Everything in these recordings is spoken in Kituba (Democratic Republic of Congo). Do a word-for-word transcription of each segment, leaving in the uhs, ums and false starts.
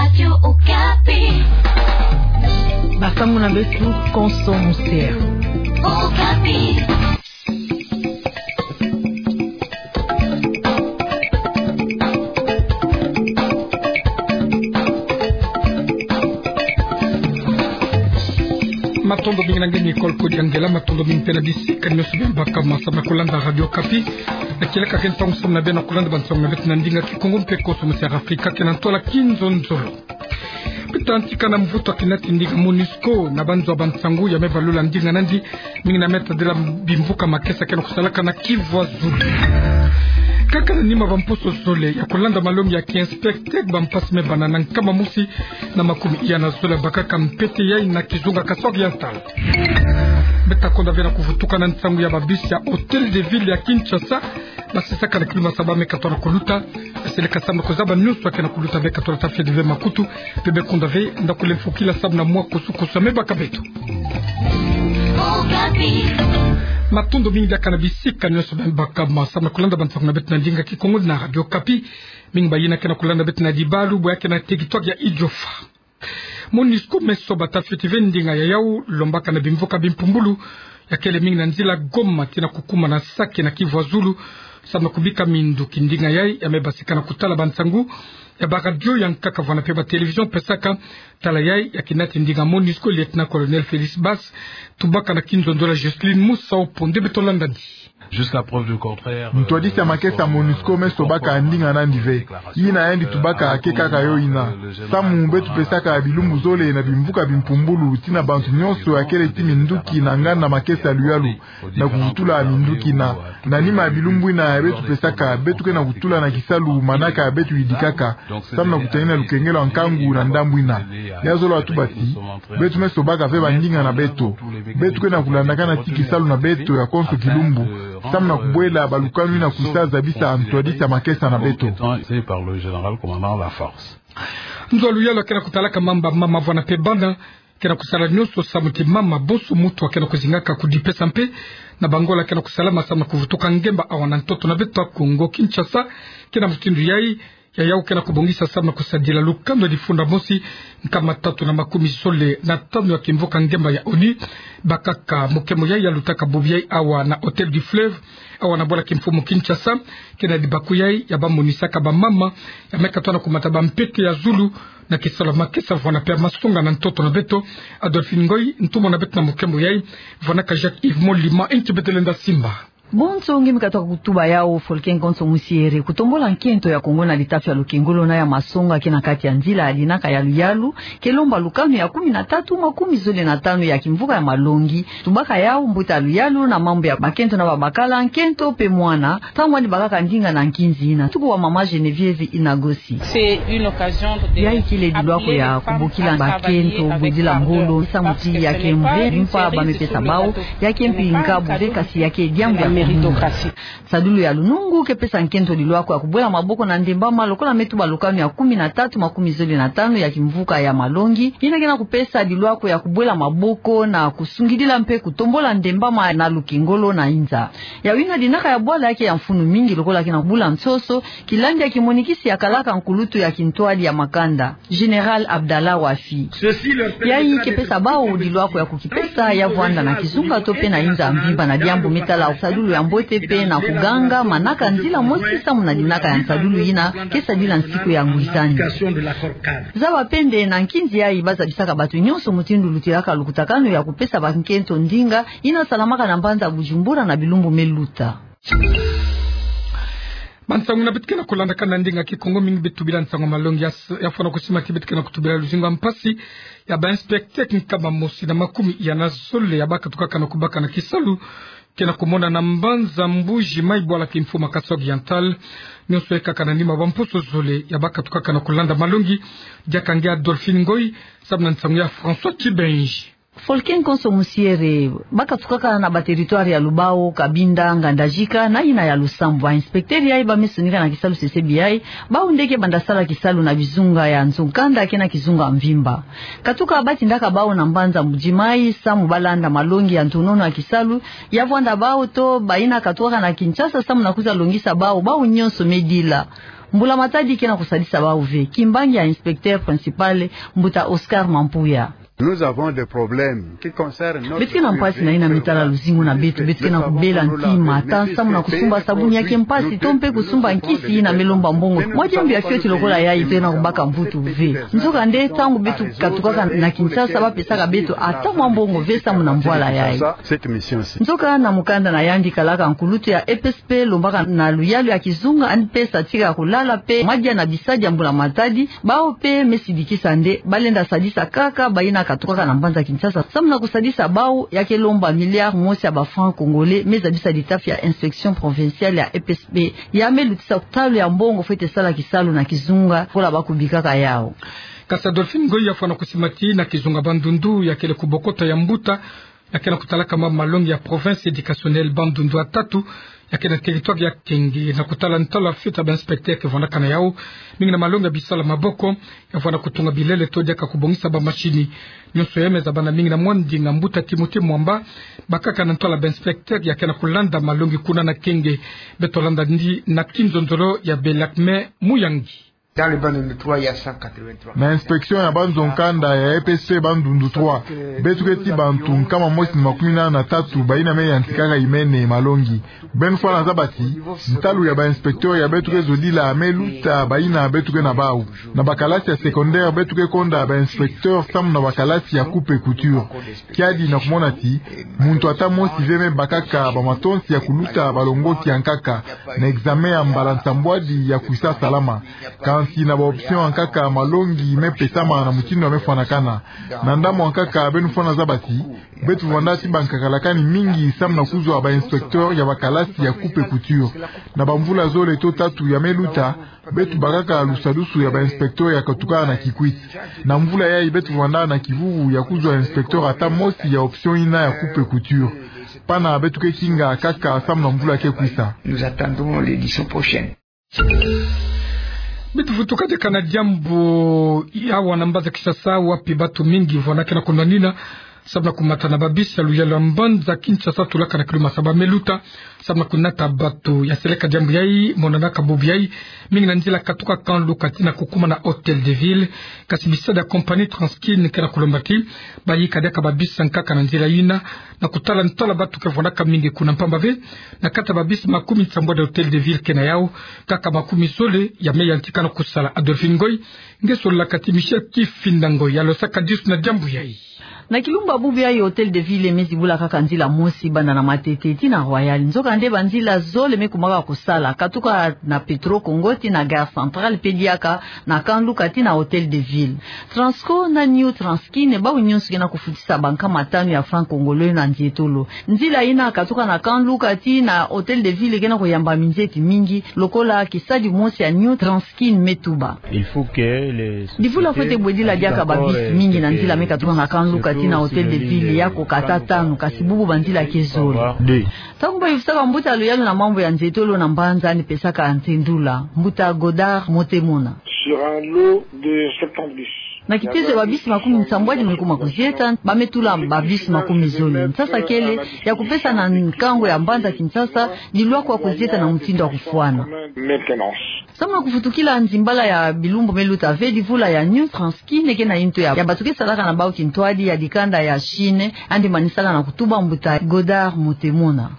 Radio Okapi. Basango na beto konso musie. Okapi. Matondo mingi na nge Nicole Kodiangela, matondo mingi mpe na bisika nyonso bie mbaka masamu na kulanda Radio Okapi. Na kieleka ke ntangu samu na bie na kulanda bansango na beto na ndinga Kikongo mpe konso musie ya Afrika ke na ntwala kinzonzolo. Mpe tantika na mvutu ya kinati ndinga MONUSCO na banzo ya bansangu ya me balula ndinga nandi, mingi na me tadila bimvuka makesa ke na kusalaka na Kivu ya Zulu. Kaka na nima bamposo zole ya kulanda malongi ya ki inspecteur, bampasi me bana na nkama mosi na makumi iya na zole bakaka mpete yai na kizunga Kasaï Oriental. Beto ta konda ve na kuvutuka na nsangu ya babisi ya Hôtel de Ville ya Kinshasa, basisaka na kilumbu ya saba me katola kuluta. Seleka samu na kuzaba nyonso ya ke na kuluta, be katola ta fie dive makutu, mpe be konda ve nda kule mfokila samu na mwa kusu-kusu ya me baka beto. Matondo mingi diaka na bisika nyonso bie mbaka masamu na kulanda bansango na beto na ndinga Kikongo na Radio Okapi. Mingi bayina ke na kulanda beto na dibalu, bwe ya ke na territoire ya Idiofa. MONUSCO me soba ta fioti ve ndinga ya yau lombaka na bimvuka bimpumbulu ya kele mingi na nzila Goma tii na kukuma na Sake na Kivu ya Zulu, samu na kubika minduki. Ndinga yai ya me basika na kutala bansangu ya baradio ya nkaka vwanda mpe batelevision pesaka. Tala yai ya kinati ndinga MONUSCO, lieutenant-colonel Félix Basse, tubaka na kinzonzolo ya Jocelyne Musau Ponde. Beto landani. Jusqu'à preuve du contraire, ntwadisi ya makesa, MONUSCO me sobaka ndinga nandi ve. Yina yandi tubaka ke kaka yo yina. Samu beto pesaka bilumbu zole na bimvuka bimpumbulu tii na bantu nyonso ya kele tii minduki na nganda makesa luyalu, na kuvutula minduki na, na nima ya bilumbu yina ya beto pesaka, beto ke na kutula na kisalu manaka beto yidikaka, samu na kutanina lukengelo ya nkangu na ndambu yina. Ya zolo ya tuba ti beto me sobaka ve bandinga na beto. Beto ke na kulandakana tii kisalu na beto ya konso kilumbu, samu na kubwela balukanu yina kwisa zabisa ntwadisi ya makesa na beto. Nzo ya luyalu ya ke na kutalaka mamba mama vwanda mpe bana ke na kusala nyonso samu ti mama bonso muntu a ke na kuzingaka kudipesa mpe na bangola ke na kusalama samu na kuvutuka ngemba awa na ntoto na beto ya Kongo. Kinshasa ke na mutindu yai ya yau ke na kubongisa samu na kusadila lukanu ya difunda mosi nkama tatu na makumi zole na tanu ya kimvuka ngemba ya ONU. Bakaka mokemo yai ya lutaka bubu yai awa na Hôtel du Fleuve, awa na bwala kimfumu Kinshasa, ke na libaku yai ya bamonisaka bamama ya me katola na kumata bampete ya zulu na kisalu ya makesa vwanda mpe ya masonga na ntoto na beto. Adolphine Ngoy, ntumwa na beto na mokemo yai, vwandaka Jacques Yves Molima. Nti beto lenda simba. Bonso nge me katuka kutuba yau, Folken konso musiere. Kutombola nkento ya Kongo na litafi ya lukengolo na ya masonga ke na kati ya nzila ya dinaka ya luyalu ke lomba lukanu ya kumi na tatu makumi zole na tanu ya kimvuka ya malongi. Tubaka yau mbuta ya luyalu na mambu ya bakento na babakala, nkento mpe mwana, ntangu yandi bakaka ndinga na nkinzi yina. Tuku wa mama Geneviève Inagosi. Yai kele dilwako ya kubokila bakento bwedila ngolo, samu ti ya ke mve mpa ba me pesa bau, ya ke mpi nkabu ve, kasi ya ke diambu ya kumuna. Nsadulu ya lunungu ke pesa nkento dilwako ya kubwela maboko na ndembama lokola me tuba lukanu ya kumi na tatu makumi zole na tanu ya kimvuka ya malongi, yina ke na kupesa dilwako ya kubwela maboko na kusungidila mpe kutombola ndembama na lukengolo na inza. Yau yina dinaka ya bwala ya ke ya mfunu mingi lokola ke na kubula nsoso, kilandi ya kimonikisi ya kalaka nkulutu ya kintwadi ya makanda, Général Abdallah Wafi. Yai ke pesa bau dilwako ya kukipesa, ya vwanda na kizunga to mpe na inza mvimba, na diambu me tala nsadulu ya mbote mpe na kuganga manaka nzila mosi samu na dinaka ya nsadulu yina ke sadila nsiku ya ngwisani. Zaba mpe nde na nkinzi yai ba zabisaka bato nyonso mutindu lutilaka lukutakanu ya kupesa bankento ndinga yina salamaka na mbanza Bujumbura na bilumbu me luta. Bansangu yina beto ke na kulandaka na ndinga Kikongo, mingi beto tubila nsangu malongi ya s-, ya fwana kusima ti beto ke na kutubila luzingu ya mpasi ya ba inspecteur nkama mosi na makumi ya na zole ya ba katukaka na kubaka na kisalu ke na kumona na mbanza Mbuji Mayi, bwala kimfumu Kasaï Oriental. Nyonso ekaka na nima bamposo zole ya ba katukaka na kulanda malongi. Diaka nge Adolphine Ngoy, samu na nsangu ya François Tibenji. Folken konso musiere, ba katukaka na ba territoire ya Lubao, Cabinda, Ngandajika, na yina ya Lusambu. Ba inspecteur yai ba me sonika na kisalu sesebi yai, bau nde ke banda sala kisalu na bizunga ya nzo-nkanda ke na kizunga mvimba. Katuka ba tindaka bau na mbanza Mbuji Mayi, samu ba landa malongi ya ntonono ya kisalu ya vwanda bau to bayina katukaka na Kinshasa, samu na kwiza longisa bau, bau nyonso me dila. Mbula Matadi ke na kusadisa bau ve. Kimbangi ya inspecteur principal, mbuta Oscar Mampuya. Nous avons des problèmes qui concernent notre... Beto ke na mpasi na yina me tala luzingu na beto, beto ke na kubela ntima, ata samu na kusumba sabuni ya ke mpasi, to mpe kusumba nkisi yina me lomba mbongo. Mwa diambu ya fioti lokola yayi ke na kubaka mvutu ve. Nzokande, ntangu beto katukaka na Kinshasa, ba pesaka beto ata mwa mbongo ve samu na mvwala yayi. Nzoka na mukanda na yandi, kalaka nkulutu ya E P S P lombaka na luyalu ya kizunga, yandi pesa tika kulala mpe madia na bisadi ya Mbula Matadi, bau mpe me sidikisa nde ba lenda sadisa kaka bayina katukaka na mbanza Kinshasa samu na kusadisa bau, ya ke lomba milliard mosi ya ba francs congolais, me zabisa litafi ya inspection provinciale ya E P S P, ya me lutisa kutalu ya mbongo fwete sala kisalu na kizunga, kola ba kubikaka yau. Kasi Adolphine Ngoy, ya fwana kusimati na kizunga Bandundu, ya kele kubokoto ya mbuta ya ke na kutalaka ma malongi ya province éducationnelle Bandundu ya tatu, ya ke na territoire ya Kenge, na kutala ntwala fioti ya ba inspecteur ke vwandaka na yau, mingi na malongi ya bisala maboko, ya fwana kutunga bilele to diaka kubongisa ba machine. Nyonso ya me zabana mingi na mwa ndinga. Mbuta Timothée Mwamba, bakaka na ntwala ba inspecteur ya ke na kulanda malongi kuna na Kenge. Beto landa ndi na kinzonzolo ya Belakme Muyangi. Dans le Bandundu trois, il y a cent quatre-vingt-trois. Na inspection ya banzo nkanda ya E P S P Bandundu trois, beto keti bantu nkama mosi na makumi nana na tatu bayina me yantikaka imene malongi. Beno fwana zaba ti ntalu ya ba inspecteur ya beto ke zodila me luta bayina beto ke na bau. Na ba kalasi ya secondaire beto ke konda ba inspecteur samu na ba kalasi ya coupe couture. Kiadi na kumona ti muntu ata mosi ve me bakaka ba matonsi ya kuluta balongoki ya nkaka na examen ya mbala nsambwadi ya kwisa salama. Kansi na ba option ya nkaka, malongi me pesama na mutindu ya me fwanakana. Na ndambu ya nkaka, beno fwana zaba ti beto vwanda ti bankakalakani mingi samu na kuzwa ba inspecteur ya ba kalasi ya coupe couture. Na ba mvula zole to tatu ya me luta, beto bakaka lusadusu ya ba inspecteur ya katuka na Kikwit. Na mvula yayi beto vwanda na kivuvu ya kuzwa inspecteur ata mosi ya option yina ya coupe couture. Pana beto ke kinga kaka samu na mvula ke kwisa. Nous attendons l'édition prochaine. Beto vutuka diaka na diambu ya awa na mbanza Kinshasa, wapi bato mingi vwandaka na kunwanina samu na kumata na ba bus ya luyalu ya mbanza Kinshasa, tulaka na kilo masaba me luta, samu na kunata bato. Ya seleka diambu yayi, monanaka bubu yayi mingi na nzila katuka Camp Luka tii na kukuma na Hôtel de Ville. Kasi bisadi ya compagnie Transkin ke na kulomba ti bayika diaka ba bus ya nkaka na nzila yina, na kutala ntwala bato ke vwandaka mingi kuna, mpamba ve na kati ya ba bus makumi nsambwadi ya Hôtel de Ville ke na yau, kaka makumi zole ya me yantika na kusala. Adolphine Ngoy, nge sololaka ti Michel Kifinda Ngoy ya losaka disu na diambu yayi. Na kilumbu ya bubu yayi, Hôtel de Ville me zibula kaka nzila mosi banda na Matete tii na Royal. Nzokande ba nzila zole me kumaka kusala, katuka na Petro Congo tii na Gare Centrale, mpe diaka na Camp Luka tii na Hôtel de Ville. Transco na New Transkin, bau nyonso ke na kufutisa bankama tanu ya francs congolais na nzietolo. Nzila yina katuka na Camp Luka tii na Hôtel de Ville ke na kuyamba minzeti mingi, lokola kisadi mosi ya New Transkin me tuba. Divula fwete bwedila diaka ba bus mingi na nzila me katuka na Camp Luka tii na Hôtel de Ville, yako kata tanu, kasi bubu ba nzila ke zole. Ntangu bayuvisaka mbuta ya luyalu na mambu ya nzietolo na mbanza, yandi pesaka ntendula. Mbuta Godard Motemona. Sur un lot de septante bus, na kipeso ya ba bus makumi nsambwadi me kuma kuzieta, ba me tula ba bus makumi zole. Nsasa kele ya kupesa na nkangu ya mbanza Kinshasa, dilwa kwa kuzieta na mutindu ya kufwana. Samu na kufutukila nzimbala ya bilumbu me luta ve, divula ya New Transkin ke na intu ya, ya bato ke salaka na bau kintwadi ya dikanda ya Chine, yandi manisaka na kutuba mbuta Godard Motemona.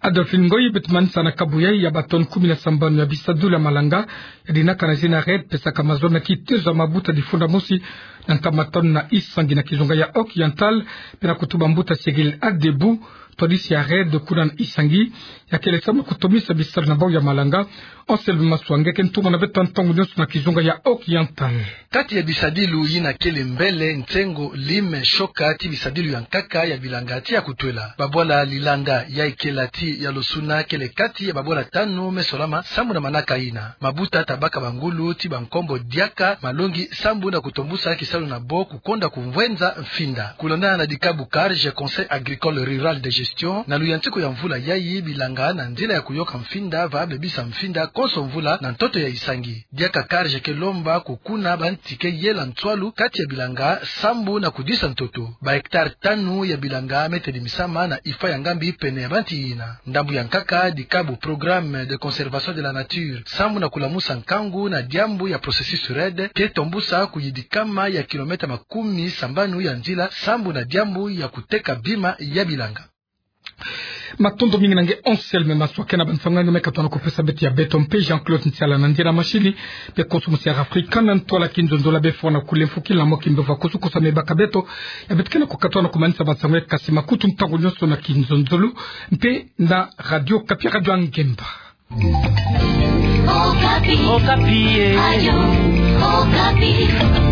Adolphine Ngoy, beto manisa na kabu yayi ya ba tonnes kumi na sambanu ya bisadulu ya malanga ya dinaka na zina REDD, pesaka mazono na kitezo ya mabuta difunda mosi na nkama tanu na isangi na kizunga ya Oriental, mpe na kutuba mbuta Cyril Adebou, twadisi ya REDD kuna na isangi, ya kele samu kutomisa bisalu na bau ya malanga. Anselme Maswa, nge ke ntumwa na beto ntangu nyonso na kizunga ya Oriental. Kati ya bisadilu yina kele mbele, nsengo, lime, shoka, tii bisadilu ya nkaka ya bilanga tii ya kutwela. Babwala lilanga ya ikela tii ya losuna kele kati ya babwala tanu me solama sambu na manaka yina. Mabuta ta baka bangulu tii bankombo diaka malongi sambu na kutombusa kisalu na bo kukonda kumvwenza mfinda. Kulonda na dikabu CARGE, Conseil Agricole Rural de Gestion, Constitution, na luyantiku ya mvula yayi, bilanga na nzila ya kuyoka mfinda va bebisa mfinda konso mvula na ntoto ya Isangi. Diaka CARJ ke lomba kukuna bantike yela nswalu kati ya bilanga sambu na kudisa ntoto. Ba hectare tanu ya bilanga me tedimisama na IFA ya Ngambi pene ya banti yina. Ndambu ya nkaka, dikabu Programme de conservation de la nature sambu na kulamusa nkangu na diambu ya processus REDD ke tombusa kuyidikama ya kilomètre makumi sambanu ya nzila sambu na diambu ya kuteka bima ya bilanga. Matondo mingi na nge Anselme Maswa ke na bansangu ya nge me katona kupesa beto ya beto mpe Jean-Claude Nsiala na ndia na mashini, mpe konso musi ya Afrika na ntwala kinzonzolo befo na kule mfuki la mo kimbe va kusukusa me baka beto ya beto ke na kukatona kumanisa bansangu ya nge, kasi makutu ntangu nyonso na kinzonzolo mpe na Radio Okapi, Radio ya Ngemba. Okapi. Okapi, eh. Radio Okapi.